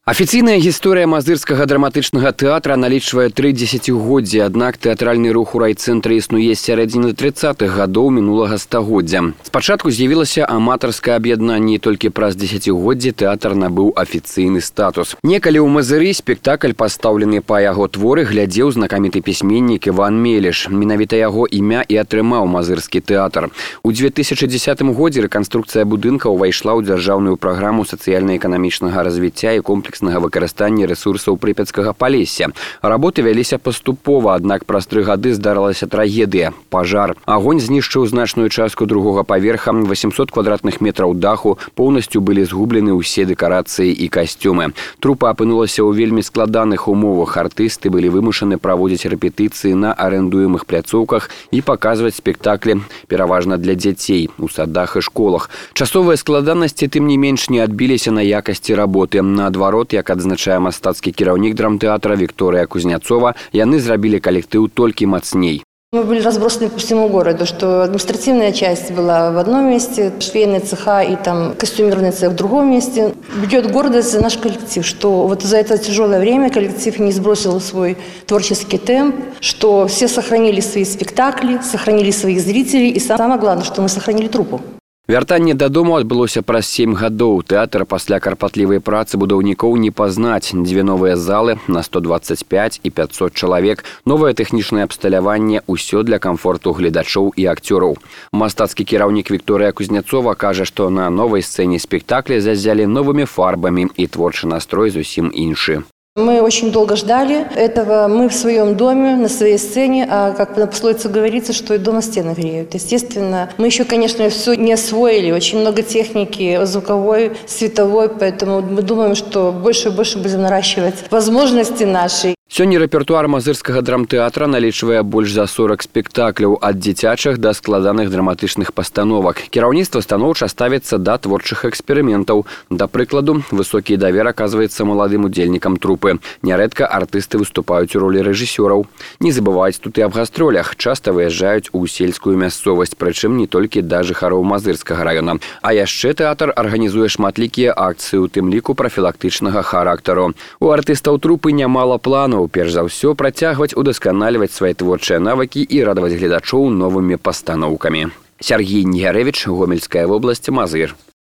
Афіцыйная гісторыя мазырскага драматычнага тэатра налічвае 3 дзесяцігоддзі, аднак тэатральны рух у райцэнтры існуе з сярэдзіны 30-х гадоў мінулага стагоддзя. Спачатку з'явілася аматарскае аб'яднанне, і толькі праз дзесяцігоддзі тэатр набыў афіцыйны статус. Некалі ў Мазыры спектакль, пастаўлены па яго творы, глядзеў знакаміты пісьменнік Іван Мелеш. Менавіта яго імя і атрымаў мазырскі тэатр. У 2010 годзе рэканструкцыя будынка ўвайшла ў дзяржаўную праграму сацыяльна-эканамічнага развіцця і комплекснага выкарыстання рэсурсаў Прыпяцкага Палесся. Работы вяліся паступова, аднак праз 3 гады здарылася трагедыя – пажар. Агонь знішчыў значную частку другога паверха, 800 квадратных метраў даху, поўнасцю былі згублены ўсе дэкарацыі і касцюмы. Трупа апынулася ў вельмі складаных умовах. Артысты былі вымушаны праводзіць рэпетыцыі на арэндуемых пляцоўках і паказваць спектаклі, пераважна для дзяцей, у садах і школах. Часовыя складанасці, тым не менш, не адбіліся на якасці работы. Наадварот, як адзначае мастацкі кіраўнік драмтэатра Виктория Кузнецова, яны зрабілі калектыў толькі мацней. Мы были разбросаны по всему городу, что административная часть была в одном месте, швейные цеха и там костюмерный цех в другом месте. Бьет гордость за наш коллектив, что вот за это тяжелое время коллектив не сбросил свой творческий темп, что все сохранили свои спектакли, сохранили своих зрителей и самое главное, что мы сохранили труппу. Вяртанне дадому адбылося праз 7 гадоў. Тэатр пасля карпатлівай працы будаўнікоў не пазнаць. 2 новыя залы на 125 і 500 чалавек, новае тэхнічнае абсталяванне, усё для камфорту гледачоў і акцёраў. Мастацкі кіраўнік Виктория Кузнецова кажа, што на новай сцэне спектакля зазялі новымі фарбамі і творчы настрой зусім іншы. Мы очень долго ждали этого. Мы в своем доме, на своей сцене, а как на пословице говорится, что и дома стены греют. Естественно, мы еще, конечно, все не освоили. Очень много техники звуковой, световой, поэтому мы думаем, что больше и больше будем наращивать возможности наши. Сёння рэпертуар мазырскага драмтэатра налічвае больш за 40 спектакляў, ад дзіцячых да складаных драматычных пастановак. Кіраўніцтва станоўча ставіцца да творчых эксперыментаў. Да прыкладу, высокі давер аказваецца маладым удзельнікам трупы. Нярэдка артысты выступаюць у ролі рэжысёраў. Не забываюць тут і аб гастролях. Часта выязджаюць у сельскую мясцовасць, прычым не толькі да жыхароў Мазырскага раёна. А яшчэ тэатр арганізуе шматлікія акцыі, у тым ліку прафілактычнага характару. У артыстаў трупы нямала планаў. Перш за ўсё, працягваць удасканальваць свае творчыя навыкі і радаваць гледачоў новымі пастаноўкамі. Сергей Ньярэвіч, Гомельская вобласць, Мазыр.